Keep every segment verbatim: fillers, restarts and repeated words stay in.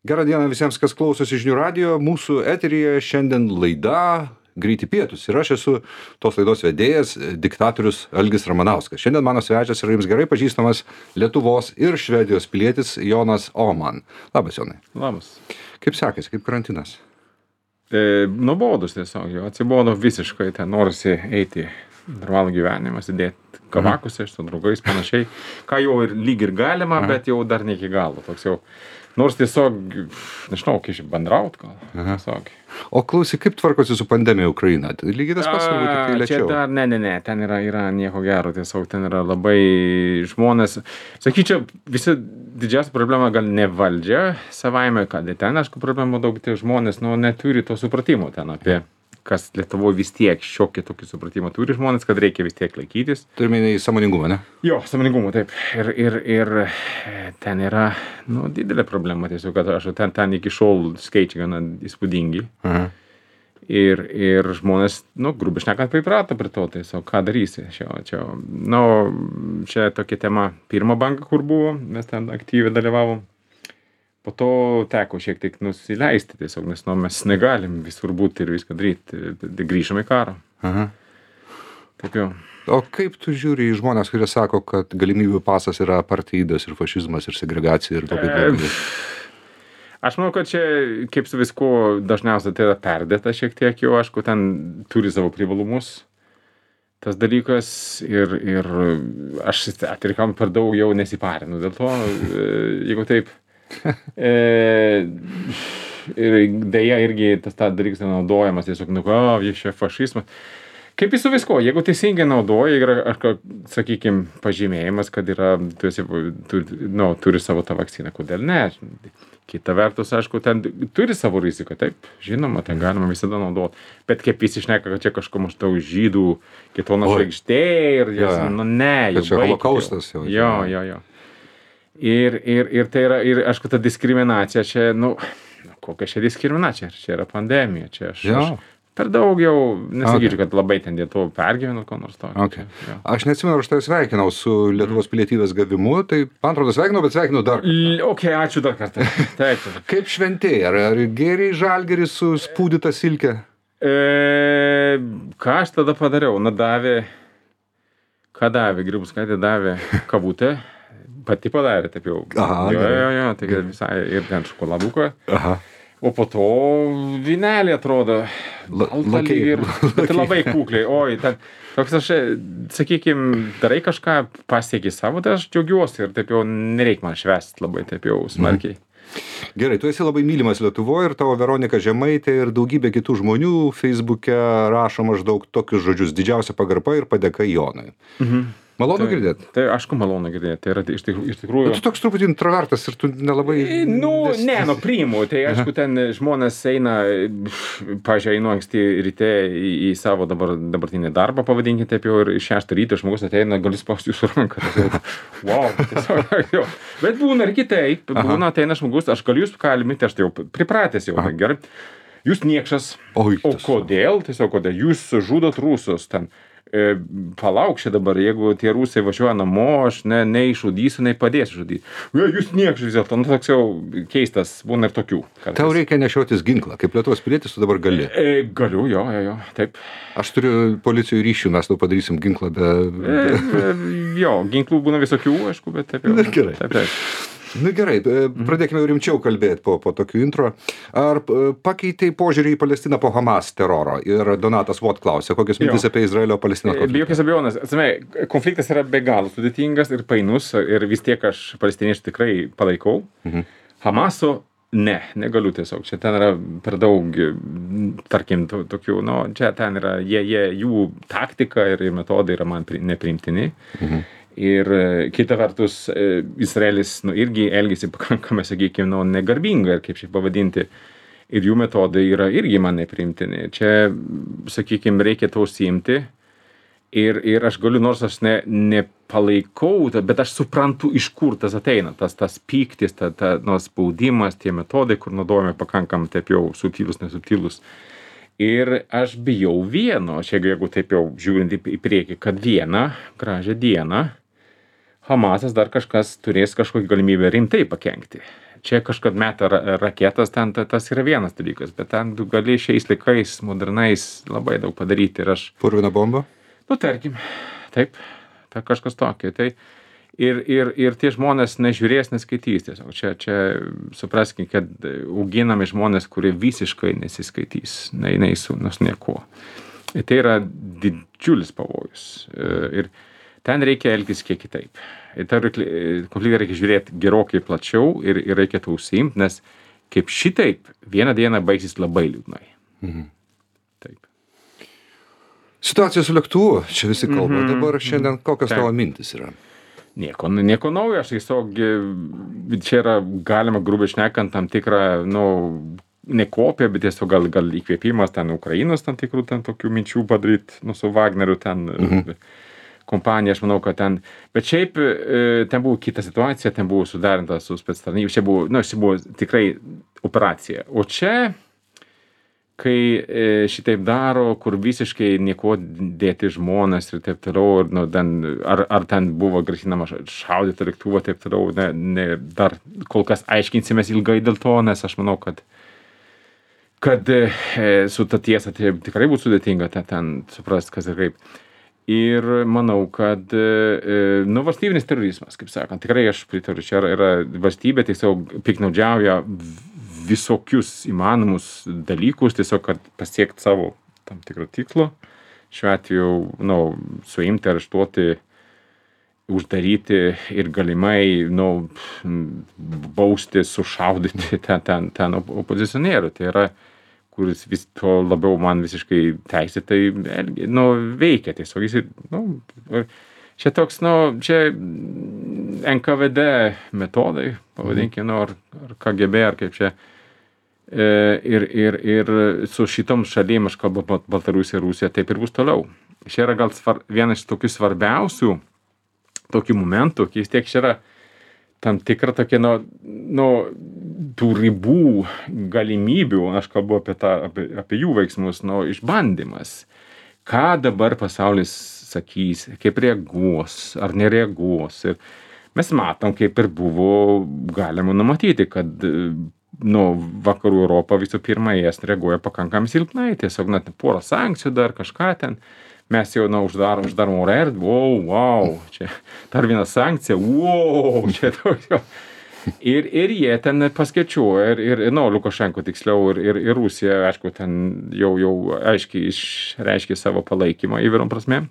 Gerą dieną visiems, kas klausosi žinių radijo. Mūsų eteryje šiandien laida Greiti pietūs. Ir aš esu tos laidos vedėjas, diktatorius Algis Ramanauskas. Šiandien mano svečias yra jums gerai pažįstamas Lietuvos ir Švedijos pilietis Jonas Oman. Labas, Jonai. Labas. Kaip sekasi, kaip karantinas? E, Nuobodus tiesiog, jau atsibodo visiškai, ten norisi eiti normalų gyvenimą, sėdėti kavakuose su draugais panašiai, ką jau ir lyg ir galima, Aha. bet jau dar ne iki galo. Toks jau, nors tiesiog, nežinau, kaip bendraut gal. Tiesiog. O klausyk, kaip tvarkosi su pandemija Ukraina? Lygiai tas pats, turbūt tik tai lėčiau. Čia dar, ne, ne, ne, ten yra, yra nieko gero, tiesiog ten yra labai žmonės, sakyčiau, visi didžiausia problema gal ne valdžia savaime, kad ten, aišku, problemų daug, tai žmonės, nu, neturi to supratimo ten apie, kas Lietuvoje vis tiek šiokį tokį supratimą turi žmonės, kad reikia vis tiek laikytis. Turime į sąmoningumą, ne? Jo, sąmoningumą, taip. Ir, ir, ir ten yra, nu, didelė problema tiesiog, kad aš ten, ten iki šiol skaičiai gana įspūdingi. Aha. Ir, ir žmonės, nu, grubiai šnekant, priprato prie to, tiesiog, ką darysi. Čia, čia, nu, čia tokia tema pirma banka, kur buvo, mes ten aktyviai dalyvavom. Po to teko šiek tiek nusileisti tiesiog, nes nu, mes negalim visur būti ir viską daryti. Grįžome į karą. Aha. Taip jau. O kaip tu žiūri į žmonės, kurie sako, kad galimybių pasas yra apartheidas ir fašizmas ir segregacija ir labai blogai? Aš manau, kad čia, kaip su viskuo, dažniausiai tai yra perdėta šiek tiek jau, aišku, ten turi savo privalumus. Tas dalykas ir, ir aš atrikam per daug jau nesiparinu. Dėl to, jeigu taip, e, ir dėja irgi tas ta dalykas naudojamas tiesiog, nu, o, jis čia fašizmas. Kaip į su visko, jeigu teisingai naudoja, yra, aš, sakykime, pažymėjimas, kad yra, tu esi, tu, nu, turi savo tą vakciną, kodėl ne? Kita vertus, aišku, ten turi savo riziką, taip, žinoma, ten galima visada naudoti. Bet kaip visi šneka, kad čia kažko maždaug žydų kitono žvaigždė ir jas, ja. nu, ne, jau čia holokaustas jau. Jo, jo, jo. Ir, ir, ir tai yra, ir aišku, ta diskriminacija čia, nu, kokia čia diskriminacija, čia yra pandemija, čia aš, aš per daug jau, nesakyčiau, okay. kad labai ten dėl to pergyvenu, ko nors to. Okay. Čia, aš neatsimenu, aš tai sveikinau su Lietuvos pilietybės gavimu, tai man atrodo sveikinau, bet sveikinau dar kartą. Ok, ačiū dar kartą. Taip. Kaip šventėjai, ar, ar gėriai žalgerį su spūdyta silke? E, ką aš tada padariau? Na, davė, ką davė, Grybauskaitė davė kavutę. Pati padarė, taip jau. Aha, jo, jo, jo, tai visai ir ten šokoladuką. Aha. O po to vynelį atrodo. Lakiai. Ir, bet labai kukliai. Oi, ten, toks aš, sakykime, darai kažką, pasieki savo, tai aš džiaugiuosi ir taip jau nereikia man švęsti labai, taip jau smarkiai. Gerai, tu esi labai mylimas Lietuvoje ir tavo Veronika Žemaitė ir daugybė kitų žmonių Feisbuke rašo maždaug tokius žodžius: didžiausia pagarba ir padėka Jonui. Mhm. Malonu girdėti? Tai aišku, malonu girdėti. Tai yra iš tikrųjų... Iš tikrųjų... Bet tu toks truputį introvertas ir tu nelabai... Nu, nes... ne, nu, priimu. Tai aišku, ten žmonės eina, pažiūrėjau, einu anksti ryte į, į savo dabar, dabartinį darbą, pavadinkite taip jau, ir šeštą ryto žmogus ateina, galiu spausti jūsų ranką. Tai, wow, tiesiog, jo. Bet būna ir kitaip. Būna ateina žmogus, aš galiu jūs kalbinti, aš tai jau pripratęs jau. Gerai. Jūs niekšas. O, o kodėl? Tiesiog, kodėl? Jūs žudot rusus ten. E, palauk čia dabar, jeigu tie rusai važiuoja namo, aš ne, neišžudysiu, nei padėsiu žudyti. Ja, jūs niekšas vis dėlto, nu toks jau keistas, būna ir tokių. Kartais. Tau reikia nešiotis ginklą, kaip Lietuvos pilietis tu dabar gali. E, galiu, jo, jo, jo, taip. Aš turiu policijų ryšių, mes tau padarysim ginklą be... E, e, jo, ginklų būna visokių, aišku, bet taip jau. Gerai. Taip, taip. Na gerai, pradėkime jau rimčiau kalbėti po, po tokių intro. Ar pakeitei požiūrį į Palestiną po Hamas teroro? Ir Donatas Vot klausė, kokios mintis apie Izraelio-Palestinos konfliktą? Be jokios abejonės. Atsime, konfliktas yra be galo sudėtingas ir painus ir vis tiek aš palestiniečių tikrai palaikau. Mhm. Hamaso ne, negaliu tiesiog. Čia ten yra per daug, tarkim, to, tokių, nu, čia ten yra, jie, jie, jų taktika ir metodai yra man pri, nepriimtini. Mhm. Ir kita vertus, Izraelis, nu, irgi elgėsi pakankamai, sakykime, nu, negarbingai, kaip šiaip pavadinti. Ir jų metodai yra irgi man nepriimtini. Čia, sakykime, reikia to užsiimti. Ir, ir aš galiu, nors aš ne, nepalaikau, bet aš suprantu, iš kur tas ateina. Tas, tas pyktis, ta, ta, nu, spaudimas, tie metodai, kur naudojame pakankamai taip jau subtilus, nesubtilus. Ir aš bijau vieno, čia jeigu taip jau žiūrint į priekį, kad vieną gražią dieną Hamasas dar kažkas turės kažkokią galimybę rimtai pakenkti. čia kažkad meta ra raketas, ten ta tas yra vienas dalykas, bet ten tu gali šiais laikais modernais labai daug padaryti ir aš Purvina bomba? Nu, tarkim, taip, ta kažkas tokio. Tai ir, ir, ir tie žmonės nežiūrės, neskaitys tiesiog. Čia, čia supraskim, kad auginami žmonės, kurie visiškai nesiskaitys, nei, nei su nors nieko. Ir tai yra didžiulis pavojus. Ir ten reikia elgtis kiek kitaip. Ir tą konfliktą reikia žiūrėti gerokai plačiau ir, ir reikia to užsiimti, nes kaip šitaip vieną dieną baigsis labai liūdnai. Mhm. Taip. Situacija su lėktuvu, čia visi kalba. Mhm. Dabar šiandien kokios Taip. tavo mintis yra? Nieko, nieko naujo, aš tiesiog, čia yra galima grubiai šnekant tam tikrą, nu, ne kopiją, bet tiesiog gal, gal įkvėpimas ten Ukrainos tam tikrų ten tokių minčių padaryti, nu, su Wagneriu ten mhm. kompanija, aš manau, kad ten, bet šiaip ten buvo kita situacija, ten buvo sudarinta su spectarnyba, čia buvo, nu, čia buvo tikrai operacija, o čia kai šitaip daro, kur visiškai nieko dėti žmonės ir taip toliau, ir, nu, ten, ar, ar ten buvo grasinama šaudyti lėktuvą, taip toliau, ne, ne, dar kol kas aiškinsimės ilgai dėl to, nes aš manau, kad, kad e, su ta tiesa tai tikrai būtų sudėtinga ten, ten suprasti, kas ir kaip. Ir manau, kad e, nu, valstybinis terorizmas, kaip sakant, tikrai aš pritariu, čia yra, yra valstybė tiesiog piknaudžiauja visokius įmanomus dalykus, tiesiog, kad pasiekti savo tam tikrą tikslo. Šiuo atveju, nu, suimti, areštuoti, uždaryti ir galimai, nu, bausti, sušaudyti ten, ten, ten opozicionierių. Tai yra, kuris vis to labiau man visiškai teisėtai, nu, veikia tiesiog. Jis, nu, čia toks, nu, čia N K V D metodai, pavadinkime, nu, ar, ar K G B, ar kaip čia. Ir, ir, ir su šitom šalim, aš kalbu Baltarusija, Rusija, taip ir bus toliau. Čia yra gal svar, vienas iš tokių svarbiausių tokių momentų, kai vis tiek čia yra tam tikra tokia, nu, nu, tų ribų galimybių, aš kalbu apie, tą, apie, apie jų veiksmus, nu, išbandymas. Ką dabar pasaulis sakys, kaip reaguos, ar nereaguos. Ir mes matom, kaip ir buvo galima numatyti, kad nu, vakarų Europą visų pirma, jas reaguoja pakankamai silpnai, tiesiog net porą sankcijų dar kažką ten, mes jau, na, uždarom, uždarom oro erdvę, wow, wow, čia dar viena sankcija, wow, čia toks jau. Ir, ir jie ten paskaičiuoja, ir, ir, nu, Lukašenko tiksliau, ir, ir, ir Rusija, aišku, ten jau, jau aiškiai išreiškė savo palaikymą įvairiom prasmėm.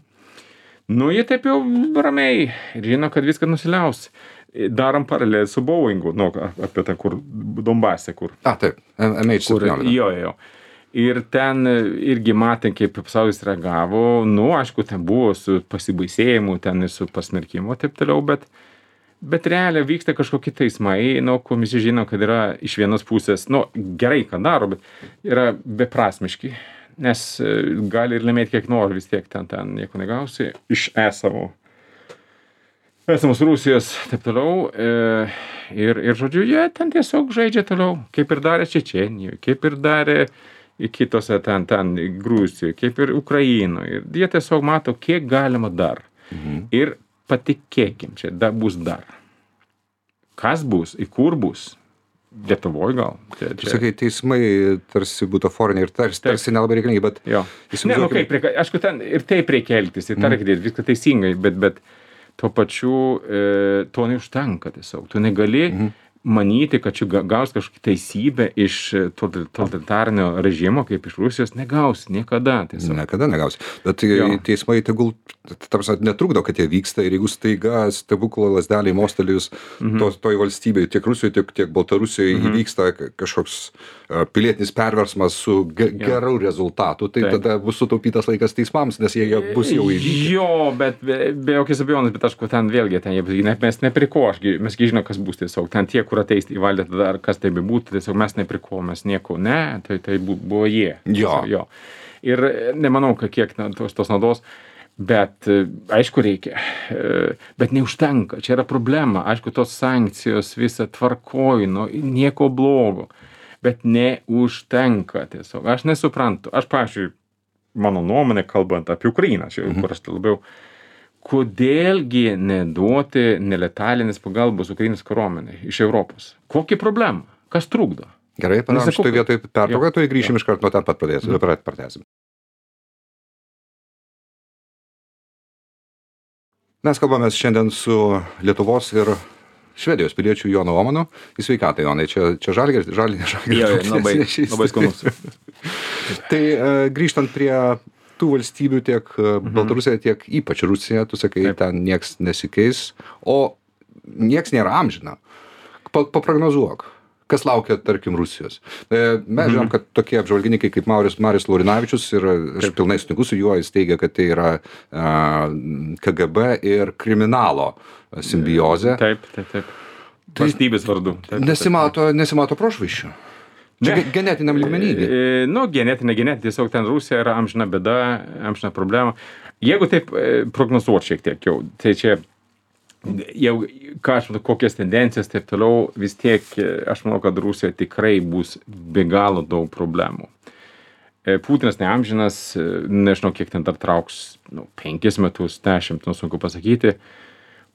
Nu, jie taip jau ramiai ir žino, kad viskas nusiliaus. Darom paralelį su Boeingu, nu, apie tą, kur Donbase, kur. A, taip, M H septyniolika. Jo, jo. Ir ten irgi matėm, kaip pasaulis reagavo. Nu, aišku, ten buvo su pasibaisėjimu, ten ir su pasmerkimu, taip toliau, bet, bet realiai vyksta kažkokie teismai, nu, kur visi žino, kad yra iš vienos pusės, nu, gerai, ką daro, bet yra beprasmiški, nes gali ir laimėti kiek nori, vis tiek ten, ten nieko negausi iš esamo. Esamos Rusijos, taip toliau, e, ir, ir, žodžiu, jie ten tiesiog žaidžia toliau, kaip ir darė Čečėnijoje, kaip ir darė kitose ten, ten Gruzijoje, kaip ir Ukrainoje. Ir jie tiesiog mato, kiek galima dar. Mhm. Ir patikėkim, čia da, bus dar. Kas bus, į kur bus? Lietuvoje gal. Čia, čia. Sakai, teismai tarsi butaforiniai ir tarsi, tarsi nelabai reikalingi, bet... Jo. Ne, nu kaip, reikia, aišku, ten ir taip reikia elgtis, ir tą reikia dėti, viską teisingai, bet, bet tuo pačiu e, to neužtenka tiesiog. Tu negali mhm. manyti, kad čia gaus kažkokią teisybę iš totalitarinio režimo, kaip iš Rusijos, negausi niekada. Tiesiog. Niekada negausi. Bet jo. Teismai tegul tarsi netrukdo, kad jie vyksta ir jeigu staiga stebuklo lasdelį mostelėjus mhm. to, toj valstybėje, tiek Rusijoje, tiek, tiek Baltarusijoje mhm. įvyksta kažkoks pilietinis perversmas su ge gerų rezultatų, tai Taip. Tada bus sutaupytas laikas teismams, nes jie bus jau įvykę. Jo, bet be, be jokios abejonės, bet aš ten vėlgi, ten, ne, mes nepriko, aš, mes žinome, kas bus tiesiog, ten tie, kur ateis į valdžią, tada ar kas tai bebūtų, tiesiog mes nepriko, mes nieko, ne, tai, tai buvo jie. Jo. jo. Ir nemanau, kad kiek na, tos, tos naudos, bet aišku reikia, bet neužtenka, čia yra problema, aišku, tos sankcijos visą tvarkoju, nu, nieko blogo. Bet neužtenka tiesiog. Aš nesuprantu. Aš, pavyzdžiui, mano nuomonė, kalbant apie Ukrainą, čia, mhm. kur aš labiau, kodėlgi neduoti neletalinės pagalbos Ukrainos kariuomenei iš Europos? Kokia problema? Kas trukdo? Gerai, padarom Nesakau, šitoj vietoj pertrauką, jo, tai grįšim jo. iš karto nuo ten pat pradėsim, Mhm. dabar pratęsim. Mes kalbamės šiandien su Lietuvos ir Švedijos piliečiu Jonu Omanu. Į sveikatą, Jonai, čia, čia žalgeris, žalgeris, žalgeris. Jo, jo, labai, labai skanus. Tai e, grįžtant prie tų valstybių, tiek mhm. Baltarusija, tiek ypač Rusija, tu sakai, Taip. ten nieks nesikeis, o nieks nėra amžina. Pa, paprognozuok, kas laukia, tarkim, Rusijos. E, mes žinom, kad tokie apžvalgininkai kaip Marius, Marius Laurinavičius, ir aš Taip. pilnai sutinku su juo, jis teigia, kad tai yra a, K G B ir kriminalo simbiozė. Taip, taip, taip. Valstybės vardu. Taip, taip, taip. Nesimato, nesimato prošvaisčių. Čia Ne. ge- genetiniam lygmenyje. E, Nu, genetinė, genetinė, tiesiog ten Rusija yra amžina bėda, amžina problema. Jeigu taip e, prognozuoti šiek tiek jau, tai čia jau, ką aš matau, kokias tendencijas, taip toliau, vis tiek e, aš manau, kad Rusija tikrai bus be galo daug problemų. E, Putinas neamžinas, e, nežinau, kiek ten dar trauks, nu, penkis metus, dešimt, nu, sunku pasakyti.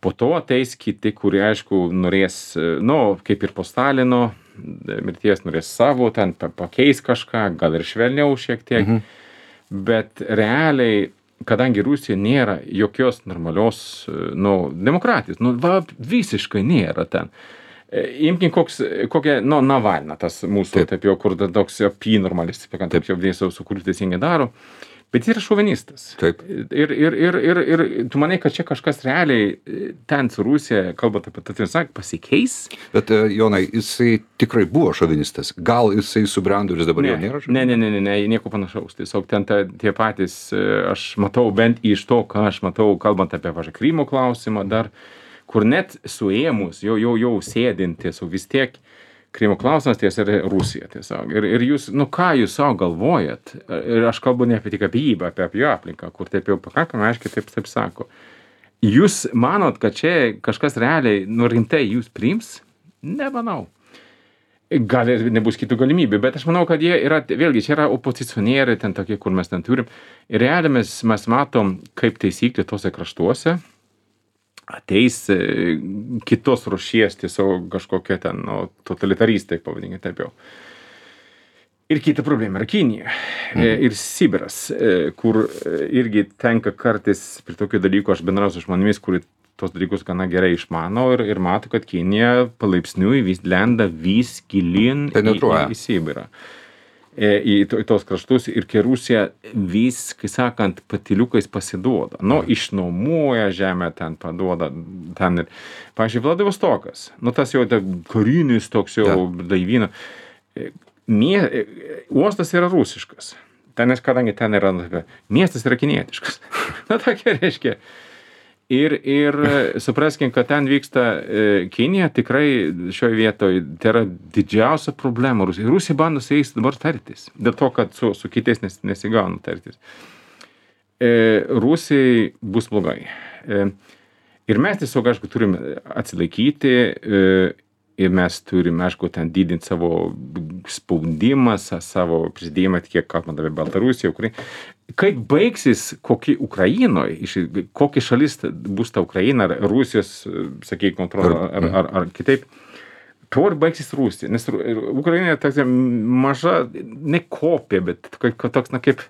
Po to ateis kiti, kurie, aišku, norės, e, nu, kaip ir po Stalino mirties, norės savo, ten pa- pakeis kažką, gal ir švelniau šiek tiek. Mhm. Bet realiai, kadangi Rusija nėra jokios normalios, e, nu, demokratijos, nu, va, visiškai nėra ten. E, Imkim koks, kokia, nu, Navalna, tas mūsų, Taip. taip, taip jau, kur ta toks apy normalistas, taip, taip jau dėsiu, su kuriuo teisingai daro. Bet jis yra šovinistas. Taip. Ir, ir, ir, ir, ir tu manai, kad čia kažkas realiai e, ten su Rusija, kalbant apie tą tiesą, pasikeis? Bet, e, Jonai, jisai tikrai buvo šovinistas. Gal jisai subrendo ir jis dabar Ne, jau nėra ne, ne, ne, ne, ne, nieko panašaus. Tiesiog ten ta, tie patys, e, aš matau bent iš to, ką aš matau, kalbant apie, važiuoju, Krymo klausimą, dar, kur net suėmus, jau, jau, jau sėdint, tiesiog vis tiek Krymo klausimas tiesa yra Rusija tiesiog. Ir, ir jūs, nu ką jūs savo galvojat? Ir aš kalbu ne apie tik apie jį, bet apie, apie jo aplinką, kur taip jau pakankamai aiškiai taip, taip sako. Jūs manot, kad čia kažkas realiai, nu rimtai jūs priims? Nemanau. Gal ir nebus kitų galimybių, bet aš manau, kad jie yra, vėlgi, čia yra opozicionieriai ten tokie, kur mes ten turim. Ir realiai mes, mes matom, kaip taisyklė tose kraštuose ateis e, kitos rūšies, tiesiog kažkokie ten, nu, totalitaristai, pavadinkime taip jau. Ir kita problema yra Kinija e, ir Sibiras, e, kur e, irgi tenka kartais prie tokių dalykų, aš bendrauju su žmonėmis, kurie tos dalykus gana gerai išmano ir, ir mato, kad Kinija palaipsniui vis lenda vis gilin į, Penetruoja. į, į Sibirą. E, į, to- į tos kraštus ir kai Rusija vis, kai sakant, patiliukais pasiduoda. Nu, išnuomuoja žemę, ten paduoda, ten ir, pavyzdžiui, Vladivostokas, nu, tas jau ta karinis toks jau Ja. laivyno. E, Mie, e, uostas yra rusiškas. Ten, nes kadangi ten yra, nu, miestas yra kinietiškas. Na, tokia reiškia. Ir, ir e, supraskim, kad ten vyksta e, Kinija, tikrai šioje vietoje tai yra didžiausia problema Rusija. Rusija bando su jais dabar tartis, dėl to, kad su, su kitais nes, nesigauna tartis. E, Rusijai bus blogai. E, ir mes tiesiog, aišku, turim atsilaikyti e, ir mes turim, aišku, ten didinti savo spaudimą, sa- savo prisidėjimą, kiek kalbant apie Baltarusiją, Ukrainą. Kaip baigsis kokie Ukrainoje, iš- kokia šalis bus ta Ukraina, ar Rusijos, sakykime, kontrolė, ar, ar, ar kitaip, tuo ir baigsis Rusija. Nes Ru- ir Ukraina tokia maža, ne kopija, bet tokia- toks, na, kaip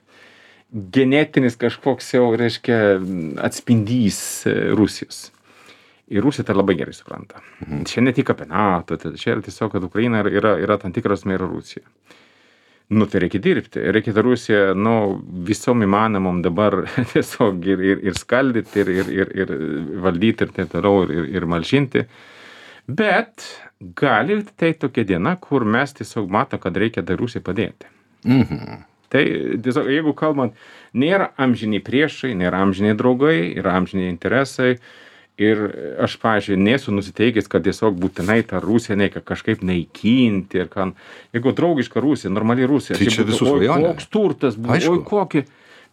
genetinis kažkoks jau, reiškia, atspindys e, Rusijos. Ir Rusija tai labai gerai supranta. Mhm. Čia ne tik apie NATO, tai čia yra tiesiog, kad Ukraina yra, yra, yra tam tikras mėra Rusija. Nu, tai reikia dirbti. Reikia tą Rusiją, nu, visom įmanomom dabar tiesiog ir, ir, ir skaldyti, ir, ir, ir, ir valdyti, ir taip toliau, ir, ir, ir malšinti. Bet gali tai tokia diena, kur mes tiesiog mato, kad reikia dar Rusijai padėti. Mhm. Tai tiesiog, jeigu kalbant, nėra amžiniai priešai, nėra amžiniai draugai, yra amžiniai interesai. Ir aš, pavyzdžiui, nesu nusiteikęs, kad tiesiog būtinai tą Rusiją reikia kažkaip naikinti. Ir kan, jeigu draugiška Rusija, normali Rusija, Tai čia būtų, visų oi, svajonė. koks turtas buvo, Aišku. oi kokį.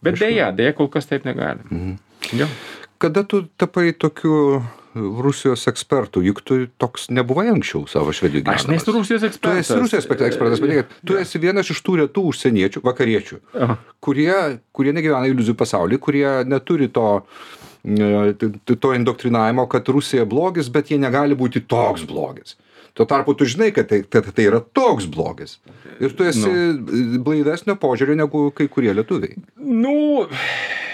Bet Aišku. dėja, dėja kol kas taip negalim. Mhm. Jo. kada tu tapai tokiu Rusijos ekspertų, juk tu toks nebuvai anksčiau savo Švedijoje gyvenamas. Aš nesu Rusijos ekspertas. Tu esi Rusijos ekspertas, bet kad tu esi vienas iš tų retų užsieniečių, vakariečių, Aha. kurie, kurie negyvena iliuzijų pasaulyje, kurie neturi to, to indoktrinavimo, kad Rusija blogis, bet jie negali būti toks blogis. Tuo tarpu tu žinai, kad tai, kad tai yra toks blogis. Ir tu esi no. blaivesnio požiūrio negu kai kurie lietuviai. Nu,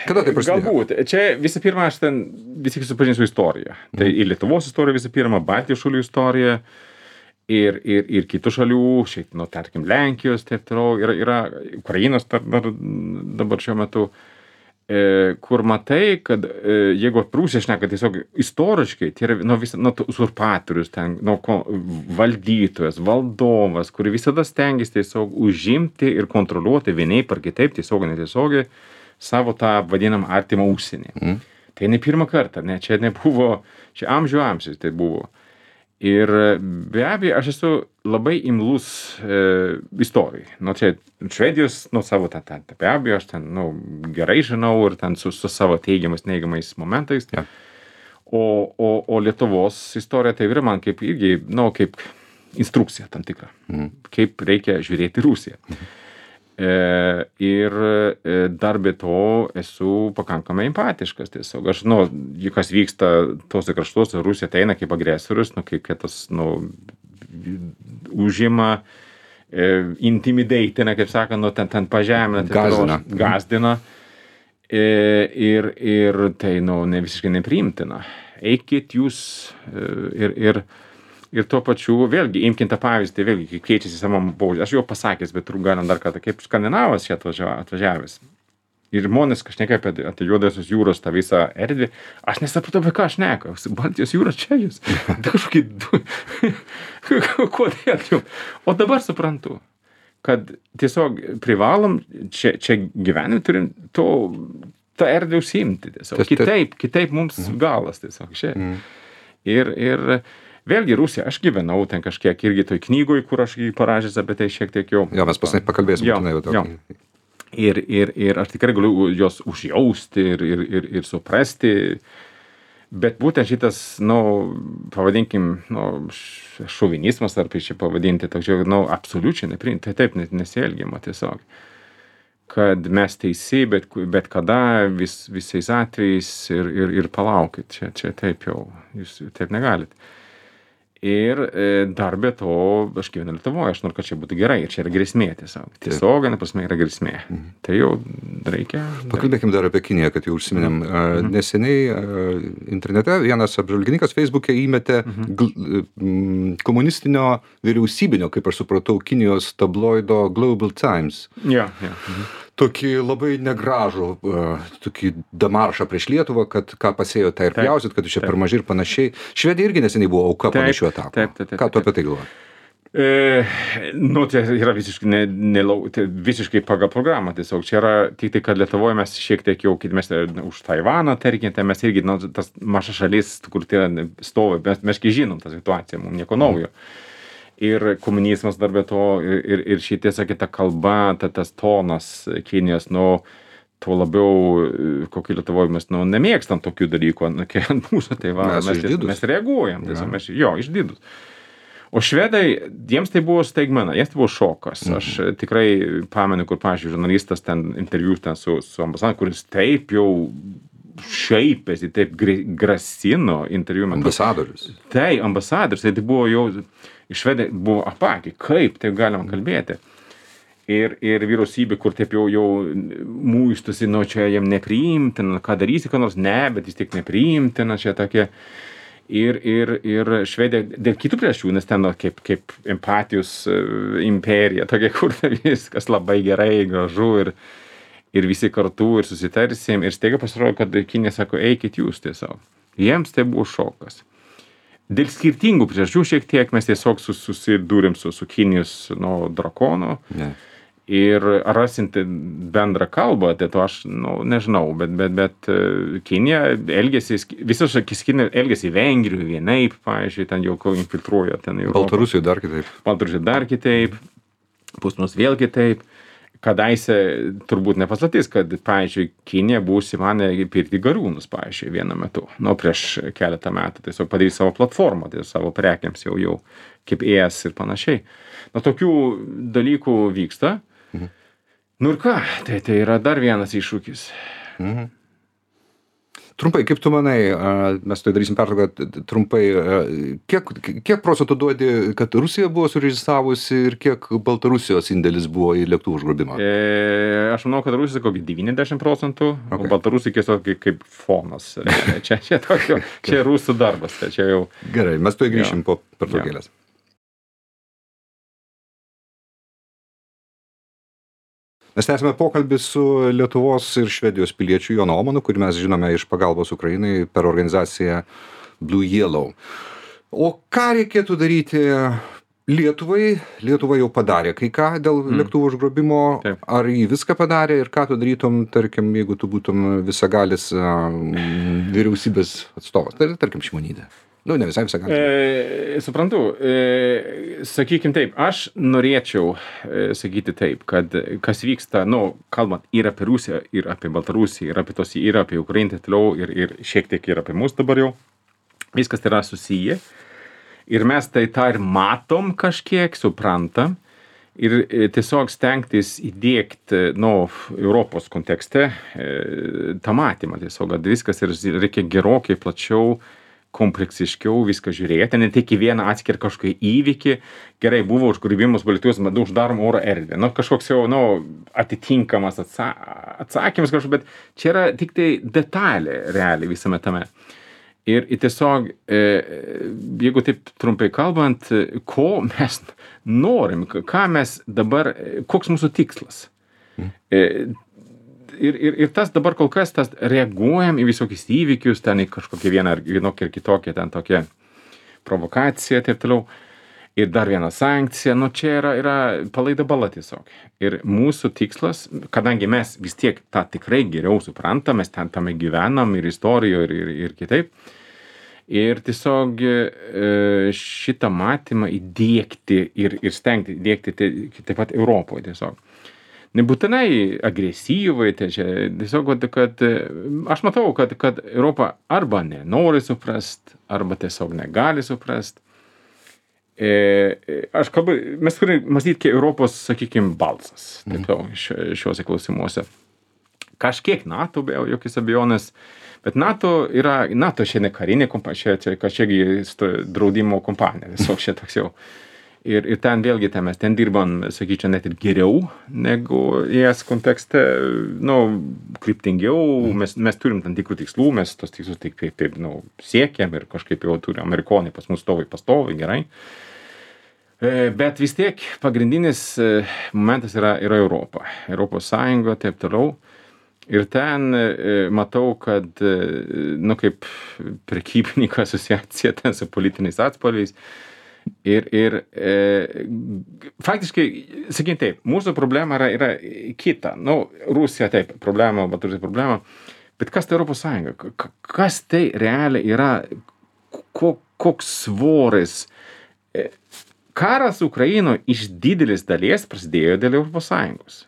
kada tai prasidėjo? Galbūt. Čia visų pirma, aš ten vis tik supažinsiu istoriją. Mm. Tai ir Lietuvos istorija visų pirma, Baltijos šalių istorija ir, ir, ir kitų šalių, šiaip, nu, tarkim, Lenkijos, taip toliau, yra, yra Ukrainos dar, dar, dabar šiuo metu, e, kur matai, kad e, jeigu Prūsija šneka tiesiog istoriškai, tai yra nu, vis, nu, uzurpatorius, ten, nu, valdytojas, valdovas, kuri visada stengiasi tiesiog užimti ir kontroliuoti vienaip ar kitaip, tiesiog netiesiogiai, savo tą vadinamą artimą užsienį. Mm. Tai ne pirmą kartą, ne, čia nebuvo, čia amžių amžius tai buvo. Ir be abejo, aš esu labai imlus e, istorijai. Nu, čia Švedijos, nu, savo tą, tą, be abejo, aš ten, nu, gerai žinau ir ten su, su savo teigiamais, neigiamais momentais. Ja. O, o, o Lietuvos istorija tai yra man kaip irgi, nu, kaip instrukcija tam tikra. Mm. Kaip reikia žiūrėti Rusiją. Mm. E, ir e, dar be to esu pakankamai empatiškas tiesiog. Aš, nu, kas vyksta tose kraštuose, Rusija ateina kaip agresorius, nu, kaip tas, nu, užima, e, intimidatina, kaip sakant, nu, ten, ten pažemina, gazdina. gazdina. E, ir, ir tai, nu, ne visiškai nepriimtina. Eikit jūs e, ir, ir Ir tuo pačiu, vėlgi, imkim tą pavyzdį, vėlgi, kai keičiasi savo požiūrį. Aš jau pasakęs, bet turbūt galim dar kartą, kaip Skandinavas čia atvažiavęs. Ir žmonės kažneka apie, apie Juodosios jūros tą visą erdvę. Aš nesupratau, apie ką aš neku. Baltijos jūra čia jūs. Tai kažkokį... Kodėl jums? O dabar suprantu, kad tiesiog privalom čia, čia gyvenim, turim to, tą erdvę užsiimti. Tiesiog. Kitaip, kitaip mums mm. galas tiesiog čia. Mm. Ir... ir Vėlgi Rusija, aš gyvenau ten kažkiek irgi toj knygoj, kur aš jį parašęs apie tai šiek tiek jau. Jo, mes pasinai pakalbėsim. Jo, jo. Ir, ir, ir aš tikrai galiu jos užjausti ir, ir, ir, ir suprasti, bet būtent šitas, nu, pavadinkim, nu, šovinizmas, ar čia pavadinti, toks, nu, absoliučiai nepriimti, tai taip nesielgiama tiesiog. Kad mes teisi, bet, bet kada, vis, visais atvejais ir, ir, ir palaukit, čia, čia taip jau, jūs taip negalit. Ir e, dar be to, aš gyvenu Lietuvoje, aš noriu, kad čia būtų gerai, ir čia yra grėsmė tiesiog. Tiesiog, prasme, yra grėsmė. Mhm. Tai jau reikia... Pakalbėkim dar apie Kiniją, kad jau užsiminėm. Mhm. Neseniai internete vienas apžvalgininkas Facebook'e įmetė mhm. gl, komunistinio vyriausybinio, kaip aš supratau, Kinijos tabloido Global Times. Ja, ja. Mhm. Tokį labai negražų, uh, tokį demaršą prieš Lietuvą, kad ką pasėjo, tai ir pjausit, kad čia per mažai ir panašiai. Švedija irgi neseniai buvo auka panašių atakų. Taip, taip, taip. Ką tu apie tai galvoji? E, nu, tai yra visiškai, ne, ne, tai visiškai pagal programą tiesiog. Čia yra tik tai, kad Lietuvoje mes šiek tiek jau, mes už Taivaną, tarkim, tai mes irgi, nu, tas maža šalis, kur tai stovi, mes, mes kai žinom tą situaciją, mums nieko naujo. Mm. Ir komunizmas dar be to, ir, ir šitie, sakė, ta kalba, ta, tas tonas Kinijos, nu, tuo labiau, kokį Lietuvoje mes, nu, nemėgstam tokių dalykų, nu, kai ant mūsų, tai va, mes, mes, mes reaguojam, tiesiog, mes, jo, išdidus. O švedai, jiems tai buvo staigmena, jiems tai buvo šokas. Mhm. Aš tikrai pamenu, kur, pavyzdžiui, žurnalistas ten interviu ten su, su ambasadoriumi, kuris taip jau šaipėsi, taip grasino interviu metu. Ambasadorius. Tai, ambasadorius, tai buvo jau... Švedai buvo apakė, kaip taip galima kalbėti. Ir, ir vyriausybė, kur taip jau, jau muistusi, nu čia jam nepriimtina, ką darysi, ką nors, ne, bet vis tik nepriimtina, čia tokie. Ir, ir, ir Švedija, dėl kitų priežasčių, nes ten kaip, kaip empatijos imperija, tokia, kur viskas labai gerai, gražu ir, ir visi kartu ir susitarsim. Ir staiga pasirodo, kad Kinija sako, eikit jūs tiesiog. Jiems tai buvo šokas. Dėl skirtingų priežasčių šiek tiek mes tiesiog susidūrėm su, su Kinijos, nu, drakonu. Ne. Ir rasinti bendrą kalbą, tai to aš, nu, nežinau, bet, bet, bet Kinija elgėsi, visos Kinija elgėsi Vengrijų vienaip, pavyzdžiui, ten jau infiltruoja ten Europą. Baltarusijoje dar kitaip. Baltarusijoje dar kitaip, pas mus vėl kitaip. kadaise turbūt ne paslaptis, kad, pavyzdžiui, Kinija buvo užsimanę pirkti Gariūnus, pavyzdžiui, vienu metu, nu, prieš keletą metų, tiesiog padaryti savo platformą, tai savo prekiams jau jau, kaip E S ir panašiai. Nu, tokių dalykų vyksta. Mhm. Nu ir ką, tai, tai yra dar vienas iššūkis. Mhm. Trumpai, kaip tu manai, mes tai darysim pertrauką, trumpai, kiek, kiek procentų duodi, kad Rusija buvo surežistravusi ir kiek Baltarusijos indėlis buvo į lėktuvų užgrobimą? E, aš manau, kad Rusija kokį devyniasdešimt procentų, okay. O Baltarusija tiesiog kaip fonas. Čia, čia, tokio, čia rusų darbas. Čia jau... Gerai, mes tuoj grįšim jo. Po pertraukėlės. Mes tęsime pokalbį su Lietuvos ir Švedijos piliečiu Jonu Omanu, kurį mes žinome iš pagalbos Ukrainai per organizaciją Blue Yellow. O ką reikėtų daryti Lietuvai? Lietuva jau padarė kai ką dėl mm. lėktuvų užgrobimo. Taip. Ar jį viską padarė ir ką tu darytum, tarkim, jeigu tu būtum visagalis vyriausybės atstovas, tai tarkim Šimonytė. Nu, ne visai visą ką. E, suprantu, e, sakykim taip, aš norėčiau e, sakyti taip, kad kas vyksta, nu, kalbant ir apie Rusiją, ir apie Baltarusiją, ir apie tos, ir apie Ukrainą, toliau, ir, ir šiek tiek ir apie mus dabar jau, viskas yra susiję. Ir mes tai tą ir matom kažkiek, suprantam, ir e, tiesiog stengtis įdiegti, nu, Europos kontekste e, tą matymą tiesiog, kad viskas ir reikia gerokai plačiau, kompleksiškiau viską žiūrėti, ne tik į vieną atskirą kažkokį įvykį, gerai, buvo užgrobimas Baltijos, bet uždarom oro erdvę, nu, kažkoks jau, nu, atitinkamas atsa atsakymas kažkoks, bet čia yra tik tai detalė realiai visame tame. Ir, ir tiesiog, e, jeigu taip trumpai kalbant, ko mes norim, ką mes dabar, koks mūsų tikslas. E, Ir, ir, ir tas dabar kol kas tas reaguojam į visokius įvykius, ten į kažkokią vieną ar vienokią ir kitokią, ten tokią provokaciją, taip toliau. Ir dar viena sankcija, nu čia yra, yra palaida bala tiesiog. Ir mūsų tikslas, kadangi mes vis tiek tą tikrai geriau suprantam, mes ten tame gyvenam ir istorijoje, ir, ir, ir kitaip. Ir tiesiog šitą matymą įdiegti ir, ir stengti įdiegti taip pat Europoje tiesiog. Nebūtinai agresyvai, tai čia tiesiog, kad aš matau, kad, kad Europa arba nenori suprast, arba tiesiog negali suprast. E, aš kalbu, mes turime mąstyti, kaip Europos, sakykime, balsas, taip jau, šiuose klausimuose. Kažkiek NATO, be jokios abejonės, bet NATO yra, NATO šiandien karinė kompanija, čia kažkiek draudimo kompanija, tiesiog čia toks jau. Ir, ir ten vėlgi, ten mes ten dirbam, sakyčiau, net ir geriau negu E S kontekste, nu, kryptingiau, mes, mes turim tam tikrų tikslų, mes tos tikslus tik taip, taip, nu, siekiam ir kažkaip jau turim, amerikonai pas mus stovai pastovi, gerai. E, bet vis tiek pagrindinis momentas yra, yra Europa, Europos Sąjunga, taip toliau. Ir ten e, matau, kad, e, nu, kaip prekybininko asociacija ten su politiniais atspalviais, Ir, ir e, faktiškai, sakykime taip, mūsų problema yra, yra kita. Nu, Rusija taip, problema, Baltarusija problema, bet kas tai Europos Sąjunga? Kas tai realiai yra, ko, koks svoris? E, karas Ukrainoje iš didelis dalies prasidėjo dėl Europos Sąjungos.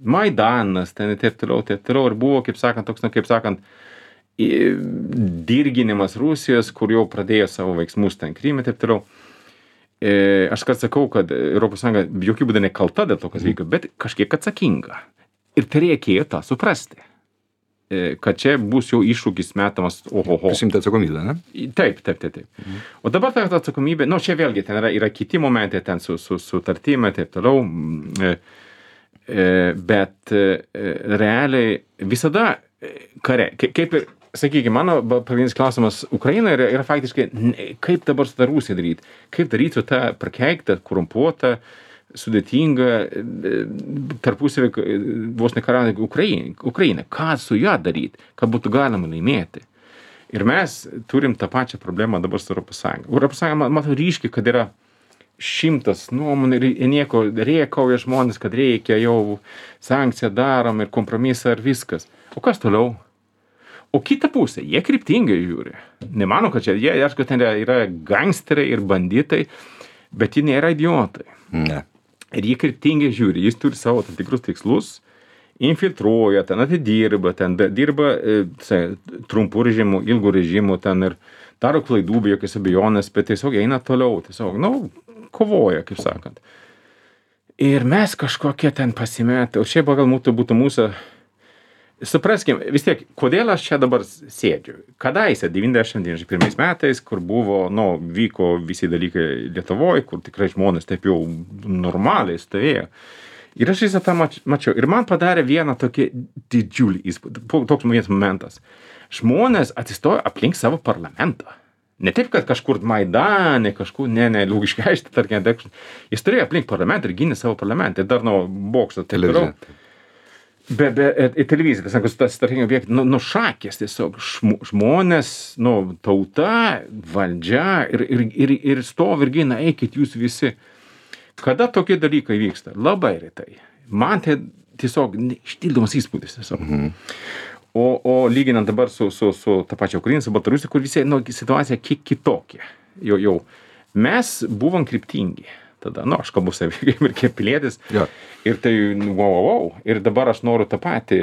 Maidanas, ten taip toliau, taip toliau, ir buvo, kaip sakant, toks, nu, kaip sakant, dirginimas Rusijos, kur jau pradėjo savo veiksmus ten Kryme, taip toliau. E, aš kad sakau, kad Europos Sąjunga jokių būdų nekalta dėl to, kas vyko, bet kažkiek atsakinga. Ir tai reikėjo tą suprasti. E, kad čia bus jau iššūkis metamas, ohoho. Prisimti atsakomybę, ne? Taip, taip, taip, taip. Mhm. O dabar ta atsakomybė, nu, čia vėlgi ten yra, yra kiti momentai, ten su, su, su tartimai, taip toliau. E, e, bet e, realiai visada kare, kaip ir, sakykime, mano pagrindinis klausimas Ukrainoje yra, yra faktiškai, kaip dabar su tą Rusiją daryti, kaip daryti su tą prakeiktą, korumpuotą, sudėtingą, tarpusavį vos nekariaujančią Ukrainą, Ukrainą, ką su ją daryti, kad būtų galima laimėti. Ir mes turim tą pačią problemą dabar su Europos Sąjunga. Europos Sąjunga, matau ryškiai, kad yra šimtas nuomonių ir nieko rėkauja žmonės, kad reikia jau sankciją darom ir kompromisą ir viskas. O kas toliau? O kita pusė, jie kryptingai žiūri. Nemano, kad čia, jie, aišku, ten yra, yra gangsteriai ir banditai, bet jie nėra idiotai. Ne. ir jie kryptingai žiūri, jis turi savo tam tikrus tikslus, infiltruoja, ten atidirba, ten dirba e, trumpų režimų, ilgų režimų, ten ir daro klaidų, be jokios abejonės, bet tiesiog eina toliau, tiesiog, nu, kovoja, kaip sakant. Ir mes kažkokie ten pasimetę, o šiaip gal mūsų būtų mūsų, supraskim, vis tiek, kodėl aš čia dabar sėdžiu. Kadaise, devyniasdešimt devyniasdešimt pirmais metais, kur buvo, nu, vyko visi dalykai Lietuvoje, kur tikrai žmonės taip jau normaliai stovėjo. Ir aš visą tą mačiau. Ir man padarė vieną tokį didžiulį įspūdį. Toks vienas momentas. Žmonės atsistojo aplink savo parlamentą. Ne taip, kad kažkur Maidane, kažkur, ne, ne, Lukiškių, tarkim, jis turėjo aplink parlamentą ir gynė savo parlamentą. Ir dar nuo bokšto taip toliau. Be, be, į televiziją, tai tas, tarkim, objektas, nu, nu, šakės tiesiog, žmonės, nu, tauta, valdžia ir, ir, ir, ir stovi ir gina, eikit jūs visi. Kada tokie dalykai vyksta? Labai retai. Man tai tiesiog ištildomas įspūdis tiesiog. Mhm. O, o lyginant dabar su, su, su ta pačia Ukraina, su Baltarusija, kur visi, nu, situacija kiek kitokia. Jau, jau. Mes buvom kryptingi. Tada, nu, aš kalbu savim ir kaip pilietis. Ja. Ir tai, wow, wow, wow. Ir dabar aš noriu tą patį,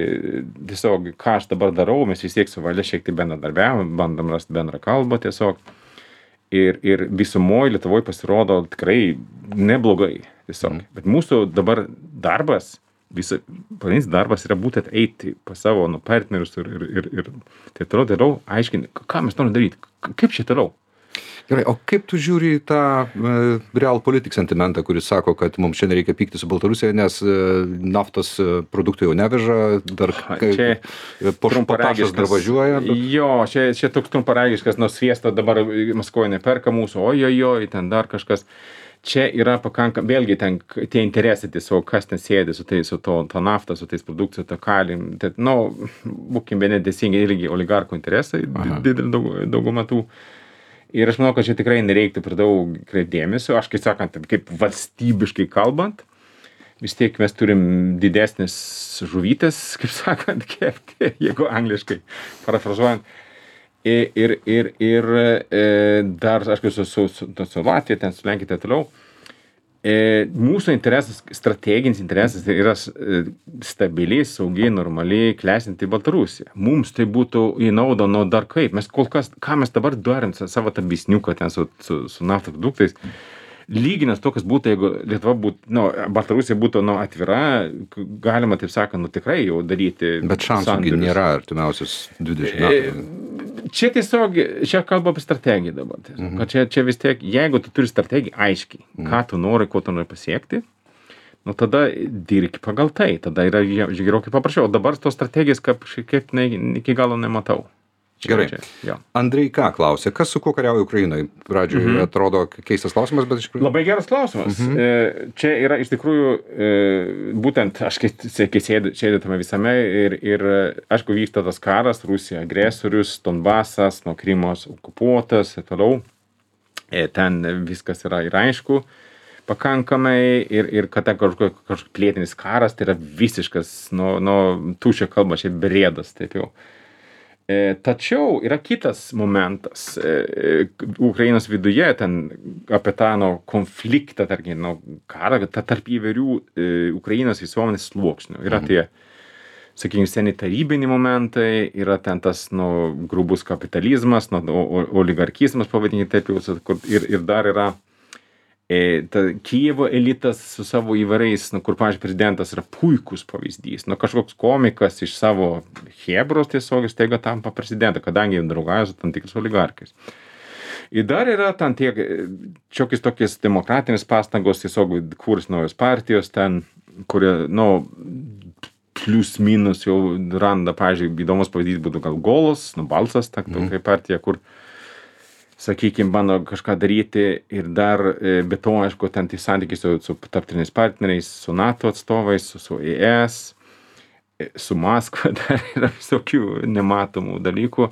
tiesiog, ką aš dabar darau, mes vis tiek su valdžia šiek tiek bendradarbiavom, bandom rasti bendrą kalbą tiesiog. Ir, ir visumoje Lietuvoje pasirodo tikrai neblogai tiesiog. Mm. Bet mūsų dabar darbas, visa, pagrindinis darbas yra būtent eiti pas savo nu, partnerius ir, ir, ir, ir tai toliau, toliau aiškinti, ką mes norime daryti, kaip čia toliau. Gerai, o kaip tu žiūri į tą e, realpolitik sentimentą, kuris sako, kad mums šiandien reikia pykti su Baltarusija, nes e, naftos produktų jau neveža, dar čia potašas dar važiuoja. Bet... Jo, čia, čia toks trumparagiškas, nors sviesto dabar Maskvoje neperka mūsų, ojojoj, ten dar kažkas. Čia yra pakankam, vėlgi ten tie interesai tiesiog, kas ten sėdi su, tai, su to, to naftą, su tais produkcijų, to kalim. Tai, nu, būkim bene teisingai, irgi oligarkų interesai, didelį daug, daugumą tų. Ir aš manau, kad čia tikrai nereiktų per daug kreipdėmesio. Aš, kaip sakant, kaip valstybiškai kalbant, vis tiek mes turim didesnis žuvytės, kaip sakant, kepti, jeigu angliškai parafrazuojant. Ir, ir, ir, ir dar, aišku, su, su, su, su Latvija, ten su Lenkija, tai toliau. E, mūsų interesas, strateginis interesas yra stabiliai, saugiai, normaliai klestinti Baltarusiją. Mums tai būtų į naudą, nu dar kaip. Mes kol kas, ką mes dabar darim savo tą bisniuką ten su, su, su naftos produktais, lyginant to, kas būtų, jeigu Lietuva būtų, nu, Baltarusija būtų, nu, atvira, galima, taip sakant, nu, tikrai jau daryti. Bet šansų nėra artimiausius dvidešimt metų. Čia tiesiog, čia kalba apie strategiją dabar. Mhm. Kad čia, čia vis tiek, jeigu tu turi strategiją aiškiai, mhm. ką tu nori, ko tu nori pasiekti, nu, tada dirbki pagal tai, tada yra gerokai paprasčiau. O dabar tos strategijos kaip, kaip ne, iki galo nematau. Gerai. Čia, Andrei ką klausė, kas su kuo kariauja Ukrainai? Pradžioje mm-hmm. atrodo keistas klausimas, bet iš tikrųjų... Labai geras klausimas. Mm-hmm. Čia yra iš tikrųjų, būtent aš kai sėdė, sėdė tame visame ir, ir aišku vyksta tas karas, Rusija agresorius, Donbasas, nuo Krymos okupuotas ir toliau. Ten viskas yra ir aišku pakankamai ir, ir kad ten kažkoks kažkoks pilietinis karas, tai yra visiškas, nu, nu tuščia kalba, čia brėdas, taip jau. Tačiau yra kitas momentas Ukrainos viduje, ten apie tą nu, konfliktą, tarkim, nu, karą, tarp įvairių Ukrainos visuomenės sluoksnių. Yra tie, sakykime, seni tarybiniai momentai, yra ten tas nu, grubus kapitalizmas, nu, oligarkizmas, pavadinkime taip, ir, ir dar yra e, ta, Kijevo elitas su savo įvairiais, nu, kur, pavyzdžiui, prezidentas yra puikus pavyzdys. Nu, kažkoks komikas iš savo hebros tiesiog staiga tampa prezidentą, kadangi draugauja su tam tikrais oligarkais. Ir dar yra ten tiek, čiokiais tokiais demokratinės pastangos, tiesiog kurs naujos partijos, ten, kurie, nu, plius minus jau randa, pavyzdžiui, įdomus pavyzdys būtų gal Golos, nu, Balsas, ta, mm. tokia partija, kur sakykime, bando kažką daryti ir dar be to, aišku, ten tai santykiai su, su tarptautiniais partneriais, su NATO atstovais, su, su E S, su Maskva, dar yra visokių nematomų dalykų,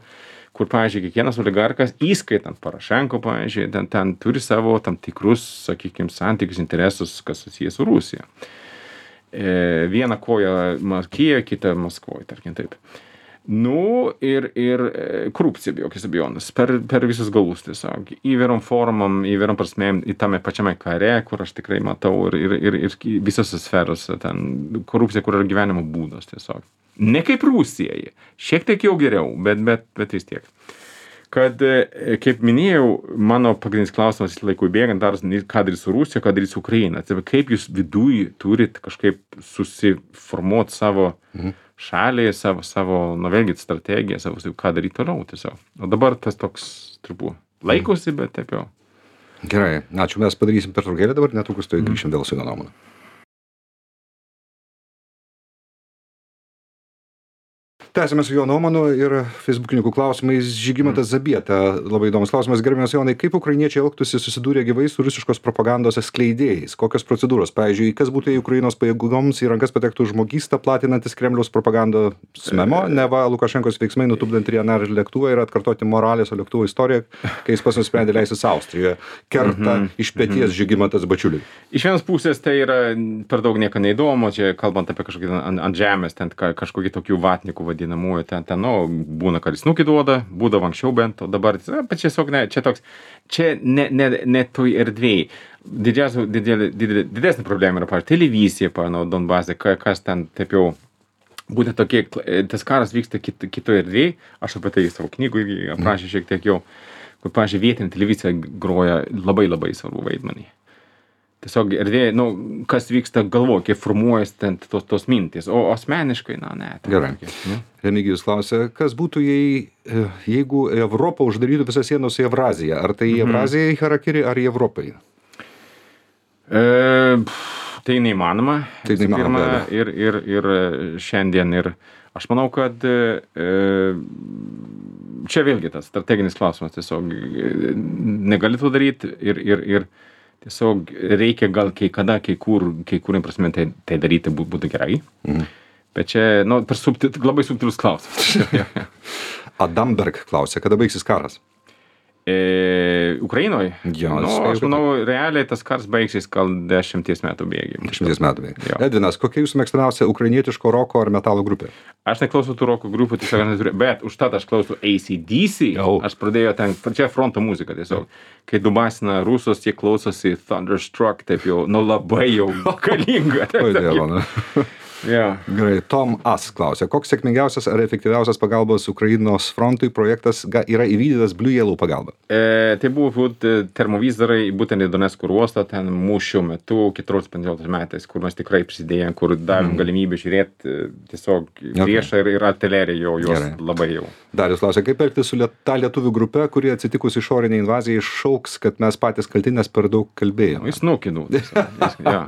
kur, pavyzdžiui, kiekvienas oligarkas, įskaitant Parašenko, pavyzdžiui, ten, ten turi savo tam tikrus, sakykime, santykius, interesus, kas susijęs su Rusija. E, viena koja Kijevo, kita Maskvoje, tarkim taip. Nu, ir, ir korupcija, be jokios abejonės, per, per visus galus tiesiog. Įvairiom formom, įvairiom prasmėm, į tame pačiame kare, kur aš tikrai matau, ir, ir, ir, ir visose sferose, ten korupcija, kur yra gyvenimo būdas tiesiog. Ne kaip Rusijai, šiek tiek jau geriau, bet, bet, bet vis tiek. Kad, kaip minėjau, mano pagrindinis klausimas laikui bėgant, dar ką daryti su Rusija, ką daryti su Ukraina. Tai kaip jūs viduj turit kažkaip susiformuoti savo mhm. šalį, savo, savo nu vėlgi strategiją, savo, ką daryti toliau tiesiog. O dabar tas toks trupų laikosi, bet taip jau. Gerai, ačiū, mes padarysim pertraukėlę dabar, netrukus tai grįšim vėl su jo nuomonė. Tęsime su jo nuomonu ir feisbukininkų klausimais. Žygimantas Zabieta, labai įdomus klausimas. Gerbiamas Jonai, kaip ukrainiečiai elgtųsi susidūrė gyvai su rusiškos propagandos skleidėjais? Kokios procedūros? Pavyzdžiui, kas būtų, jei Ukrainos pajėgoms į rankas patektų žmogystą platinantis Kremliaus propagandos memo, neva Lukašenkos veiksmai nutupdant Ryanair lėktuvą ir atkartoti Moraleso lėktuvo istoriją, kai jis pats nusprendė leisis Austrijoje. Kerta mm -hmm. iš peties Žygimantas Bačiuliui. Iš vienos pusės tai yra per daug nieko neįdomu, čia kalbant apie kažkokį ant, ant žemės, ten kažkokį tokių vatnikų vadinamųjų, ten, ten, nu, būna karisnukį duoda, būdavo anksčiau bent, o dabar, bet tiesiog ne, čia toks, čia ne, ne, ne toj erdvėjai. Didžiausia, didelė, didelė, didesnė problema yra, pavyzdžiui, televizija, pavyzdžiui, Donbase, kas ten taip jau, būtent tokie, tas karas vyksta kit, kitoje erdvėje, aš apie tai savo knygų irgi aprašė šiek tiek jau, kur, pavyzdžiui, vietinė televizija groja labai labai svarbu vaidmenį. Tiesiog erdvėje, nu, kas vyksta galvoje, kaip formuojasi ten tos, tos mintys, o asmeniškai, na, ne. Gerai. Ne? Remigijus klausia, kas būtų, jei, jeigu Europa uždarytų visas sienos į Evraziją? Ar tai į Evraziją į Harakiri, ar į Europai? E, tai neįmanoma. Tai neįmanoma. Pirma, ir, ir, ir šiandien, ir aš manau, kad e, čia vėlgi tas strateginis klausimas, tiesiog negali to daryti ir, ir, ir tiesiog reikia gal kai kada, kai kur, kai kurim prasme tai, tai daryti būtų, būtų gerai. Mhm. Bet čia, nu, per subtil, labai subtilus klausimas. Adamberg klausia, kada baigsis karas? E, Ukrainoje? Jo, nu, aš manau, realiai tas karas baigsis gal dešimties metų bėgiai. Dešimties metų bėgiai. Edvinas, kokia jūsų mėgstamiausia ukrainietiško roko ar metalo grupė? Aš neklausau tų roko grupių, tiesiog neturiu, bet užtat aš klausau A C D C. Jau. Aš pradėjau ten, čia fronto muzika tiesiog. Kai dubasina rusus, jie klausosi Thunderstruck, taip jau, nu labai jau galinga. Oi, dievo, ne? Yeah. Gerai, Tom As klausia, koks sėkmingiausias ar efektyviausias pagalbos Ukrainos frontui projektas yra įvykdytas Blue Yellow pagalba? E, tai buvo būt, termovizorai būtent į Donecko uostą ten mūšio metu keturioliktais penkioliktais metais, kur mes tikrai prisidėjom, kur davėm mm. galimybę žiūrėti tiesiog priešą okay. ir, ir artileriją jo, jos Gerai. Labai jau. Darius klausia, kaip elgtis su liet, ta lietuvių grupe, kurie atsitikus išorinė invazija iššauks, kad mes patys kalti, nes per daug kalbėjome? Jis nukinu. Ja.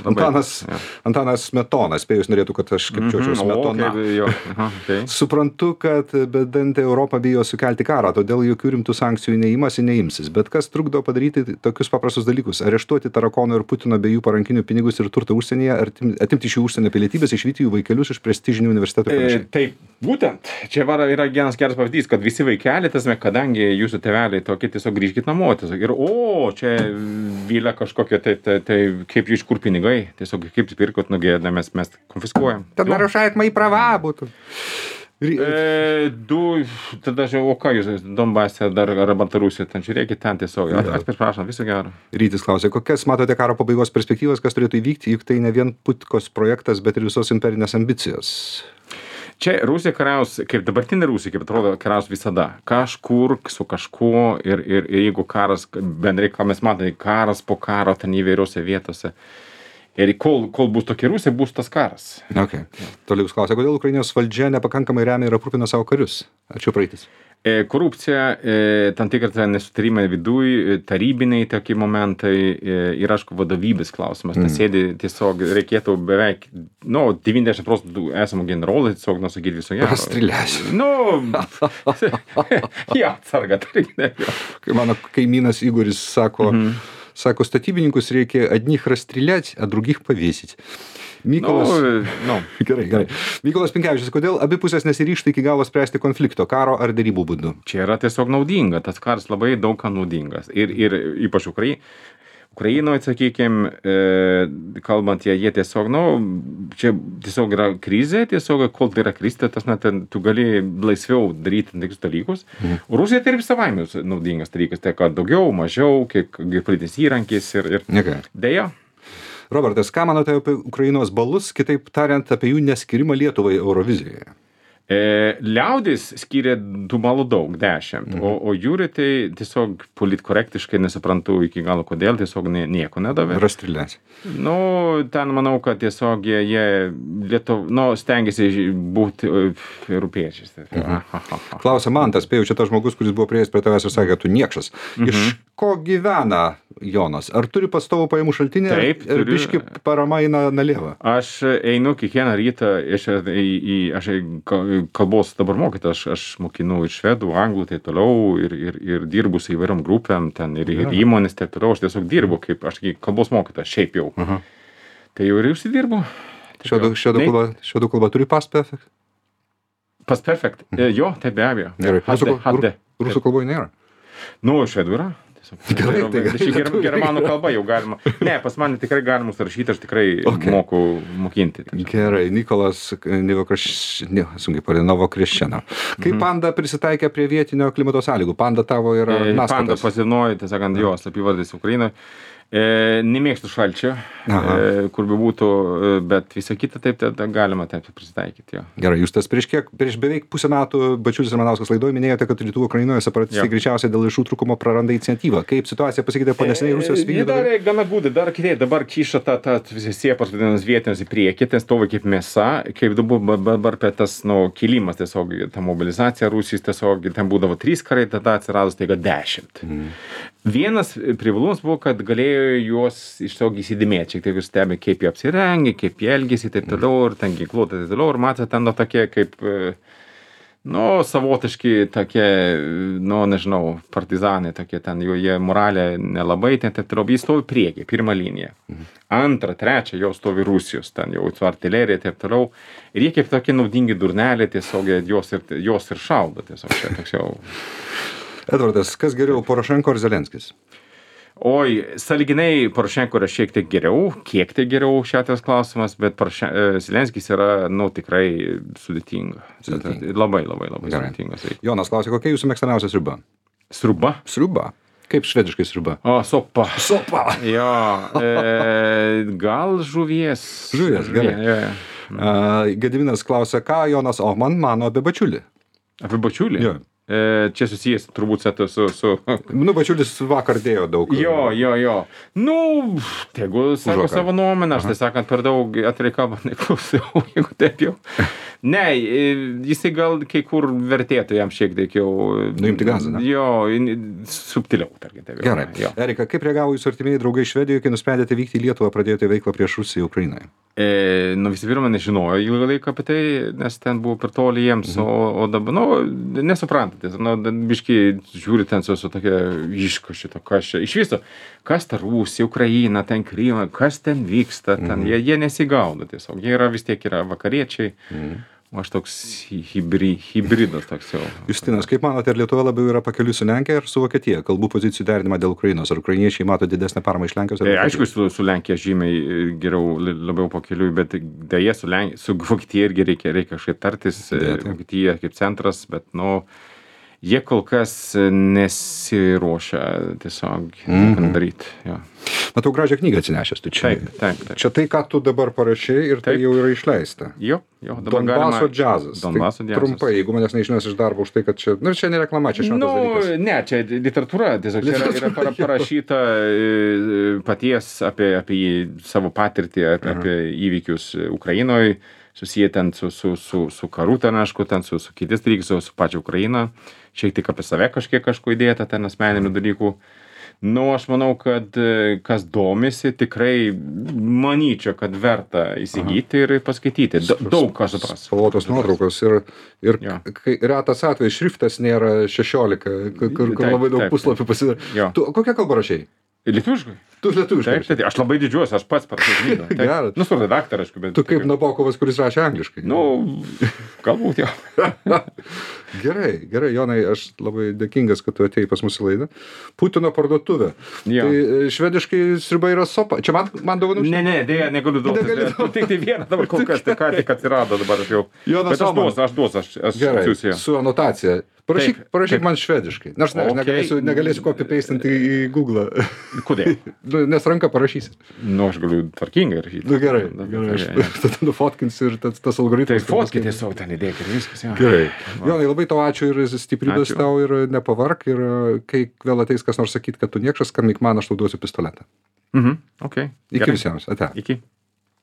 Antanas, ja. Antanas Smetonas, spėjus norėtų, kad aš kepčiaučiau mm -hmm. Smetoną. Okay, jo. Aha, okay. Suprantu, kad bedantė Europa bijo sukelti karą, todėl jokių rimtų sankcijų neimasi, neimsis. Bet kas trukdo padaryti tokius paprastus dalykus? Areštuoti Tarakono ir Putino bei jų parankinių pinigus ir turtą užsienyje, ar atimti iš jų užsienio pilietybės, išvyti jų vaikelius iš prestižinių universitetų ir panašiai? E, taip, būtent. Čia yra vienas geras pavyzdys, kad visi vaikeliai, tasme, kadangi jūsų tėveliai tokie tiesiog grįžkit namo, tiesiog, ir o, čia vylia kažkokia, tai, tai, tai kaip iš kur pinigai, tiesiog kaip pirkot, nugėdame, mes, mes konfiskuojam. Tad narušajat mai prava būtų. E, du, tada žiau, o ką jūs, Donbase dar ar Baltarusija, ten žiūrėkit ten tiesiog. Atsiprašom, viso gero. Rytis klausė, kokias matote karo pabaigos perspektyvas, kas turėtų įvykti, juk tai ne vien Putkos projektas, bet ir visos imperinės ambicijos. Čia Rusija kariaus, kaip dabartinė Rusija, kaip atrodo, kariaus visada. Kažkur su kažkuo ir, ir, ir jeigu karas, bendrai, ką mes matome, karas po karo ten įvairiose vietose. Ir kol, kol bus tokia Rusija, bus tas karas. Okay. Toliau klausia, kodėl Ukrainos valdžia nepakankamai remia ir aprūpina savo karius? Ar čia praeitis? E, korupcija, e, tam tikrai nesutarimai viduj, tarybiniai tokie momentai e, ir, aišku, vadovybės klausimas. Mm. Tas sėdi tiesiog, reikėtų beveik, nu, devyniasdešimt procentų esamų generolų, tiesiog, nusakyti viso gero. Pastriliasiu. Nu, ja, atsarga, tai ne. Kai mano kaimynas Igoris sako, mm-hmm. Sako, statybininkus reikia одних расстрелять, а других повесить. Mykolas, no, no. Gerai, gerai. Mykolas Pinkevičius, kodėl abi pusės nesiryžta iki galo spręsti konflikto, karo ar derybų būdu? Čia yra tiesiog naudinga, tas karas labai daug ką naudingas. Ir, ir ypač Ukrai, Ukrainoje, sakykime, e, kalbant, jie, jie tiesiog, nu, čia tiesiog yra krizė, tiesiog, kol tai yra krizė, tas, na, ten, tu gali laisviau daryti tokius dalykus. Mhm. Rusija tai ir savaime naudingas dalykas, tai kad daugiau, mažiau, kiek politinis įrankis ir, ir okay. Deja. Robertas, ką manote apie Ukrainos balus, kitaip tariant, apie jų neskirimą Lietuvai Eurovizijoje? E, liaudis skiria tų balų daug, dešimt, mhm. o, o jūri tai tiesiog politkorektiškai nesuprantu iki galo kodėl, tiesiog nie, nieko nedavė. Rastrilės. Nu, ten manau, kad tiesiog jie, jie Lietuv, nu, stengiasi būti europiečiais. Mhm. Klausia Mantas, spėjau, čia tas žmogus, kuris buvo prieėjęs prie tavęs ir sakė, tu niekšas. Mhm. Iš ko gyvena Jonas? Ar turi pastovų pajamų šaltinį? Taip, ir biški parama eina nalieva? Aš einu kiekvieną rytą, iš, į, į, aš kalbos dabar mokyti, aš, aš mokinu ir švedų, anglų, tai toliau, ir, ir, ir dirbu su įvairiom grupėm, ten ir, ir įmonės, taip toliau, aš tiesiog dirbu kaip, aš kalbos mokytas, šiaip jau. Aha. Tai jau ir užsidirbu. Švedų kalba turi past perfect? Past perfect, mhm. Jo, tai be abejo. Gerai, rusų, rusų kalboje nėra? Nu, švedų yra. Gerai, tai ger, ger, germanų kalba jau galima. Ne, pas mane tikrai galima užsirašyti, aš tikrai okay. moku mokinti. Gerai, Nikolas Novokreščeno. Kaip mhm. Panda prisitaikė prie vietinio klimato sąlygų? Panda tavo yra e, naskatas. Panda pasinojo, tai sakant, jo slapyvardis Ukrainoje. E, nemėgstu šalčio, e, kur be būtų, bet visą kitą taip, taip, taip galima taip prisitaikyti. Jo. Gerai, jūs tas prieš kiek, prieš beveik pusę metų Bačiulis Ramanauskas laidoje minėjote, kad rytų Ukrainoje separatistai greičiausiai dėl lėšų trūkumo praranda iniciatyvą. Kaip situacija pasikeitė po neseniai Rusijos vykdymo? Jie darė gana gudai, dar kitaip, dabar kiša tą, tą visi siepas vadinamas vietinius į priekį, ten stovi kaip mėsa, kaip dabar apie tas, nu, kilimas tiesiog, ta mobilizacija Rusijos tiesiog, ten būdavo trys karai, tada atsirado staiga dešimt. Mm. Vienas privalumas buvo, kad galėjo juos iš tiesiog įsidėmėti, šiek tiek stebi, kaip jie apsirengia, kaip jie elgiasi, taip toliau, ir ten ginkluotė, taip toliau, ir matė ten, nu, tokie kaip, nu, savotiški tokie, nu, nežinau, partizanai tokie, ten jų, jie moralė nelabai, ten taip toliau, jis stovi priekį, pirmą liniją. Antrą, trečią jau stovi Rusijos, ten jau su artilerija, taip toliau, ir jie kaip tokie naudingi durneliai, tiesiog jos ir, jos ir šaudo, tiesiog čia toks jau. Edvardas, kas geriau, Porošenko ar Zelenskis? Oi, sąlyginai Porošenko yra šiek tiek geriau, kiek tai geriau šiatas klausimas, bet Porošen... Zelenskis yra, nu, tikrai sudėtinga. Sudėtinga. Labai, labai, labai Gerai. Sudėtingas. Jonas klausė, kokia jūsų mėgstamiausia sriuba? Sriuba? Sriuba. Kaip švediškai sriuba? O, sopa. Sopa. Jo, e, gal žuvies. Žuvies, gerai. Ja, ja. Uh, Gediminas klausė, ką Jonas Ohman mano apie Bačiulį? Apie Bačiulį? Jo. E, čia susijęs turbūt su... su, su... Nu, Bačiulis vakar dėjo daug. Jo, jo, jo. Nu, tegu sako savo nuomonę, aš tai sakant, per daug atvirai kalbant neklausiau, jeigu taip jau. Ne, jisai gal kai kur vertėtų jam šiek tiek jau... Nuimti gazą, ne? Jo, subtiliau, tarkim. Taip, Gerai. Jo. Erika, kaip reagavo jūsų artimieji draugai Švedijoje, kai nusprendėte vykti į Lietuvą, pradėjote veiklą prieš Rusiją Ukrainoje? E, nu, visų pirma, nežinojo ilgą laiką apie tai, nes ten buvo per toli jiems, mhm. o, o dabar, nu, nesuprantatės, nu, biškai žiūri ten su, su tokia iško šito, kas čia, iš viso, kas ta Rusija, Ukraina, ten Krymą, kas ten vyksta, ten, mhm. jie, jie nesigaudo tiesiog, jie yra vis tiek yra vakariečiai, mhm. o aš toks hibri, hybridas toks jau. Justinas, kaip manote, ar Lietuva labiau yra pakeliui su Lenkija ar su Vokietija? Kalbų pozicijų derinimą dėl Ukrainos. Ar ukrainiečiai mato didesnę paramą iš Lenkijos? E, aišku, su, su Lenkija žymiai geriau, labiau pakeliui, bet dėja su, Lenk... su Vokietija irgi reikia, reikia kažkaip tartis. Dėja, Vokietija kaip centras, bet, nu, jie kol kas nesiruošia tiesiog mm-hmm. daryti. Ja. Matau gražią knygą atsinešęs, tu čia. Taip, taip, taip. Čia tai, ką tu dabar parašai ir tai taip. Jau yra išleista. Jo, jo. Donbaso galima... džiazas. Donbaso tai džiazas. Trumpai, jeigu manęs neišnes iš darbo už tai, kad čia... Nu, čia ne reklama, čia šventas nu, dalykas. Ne, čia literatūra. Tiesiog čia yra, yra para, parašyta paties apie, apie savo patirtį, apie, uh-huh. apie įvykius Ukrainoje, susiję ten su, su, su, su karu, ten, aišku, ten su, su kitais dalykais, su, su pačia Ukraina. Šiek tiek apie save kažkiek kažko įdėta, ten asmeninių dalykų. Nu, aš manau, kad kas domisi, tikrai manyčiau, kad verta įsigyti Aha. ir paskaityti. Da, daug ką supras. Spalvotos nuotraukos ir, ir ja. kai retas atvejs šriftas nėra šešiolika, kur, kur taip, labai daug taip, puslapių pasidaro. Tu kokią kalbą rašei? Lietuviškai. Tu lietuviškai. Taip, taip, aš labai didžiuosi, aš pats parašiau knygą. Taip. Geras. Nu, su redaktoriu, aišku, bet... Tu kaip Nabokovas, kuris rašė angliškai. Nu, galbūt jau. Gerai, gerai, Jonai, aš labai dėkingas, kad tu atėjai pas mūsų laidą. Putino parduotuvė. Jo. Tai e, švediškai sriuba yra sopa. Čia man, man dovanų? Ne, ne, dėja, negaliu duoti. Negali Tu tik tai vieną dabar kol kas, tai ką tik atsirado dabar aš jau. Jonas Bet aš Oman. duosiu, aš duosiu, aš, aš Gerai, atsiųsiu. su anotacija. Parašyk, Taip, parašyk taip. man švediškai. Nors ne, aš Okay. negalėsiu, negalėsiu copy-pastinti į Google. Kodėl? Nu, nes ranka parašysi. Nu, aš galiu tvarkingai rašyti. Nu gerai, Na, gerai, aš gerai, tada nufotkinsiu ir tas, tas Tai algoritmas. fotkite tiesiog ten įdėk ir viskas. Jo. Gerai. Jonai, labai tau ačiū ir stiprybės Ačiū. tau ir nepavark ir e, kai vėl ateis kas nors sakyti, kad tu niekšas, skambink man, aš tau duosiu pistoletą. Mhm, okei. Iki Gerai. visiems. Ate. Iki.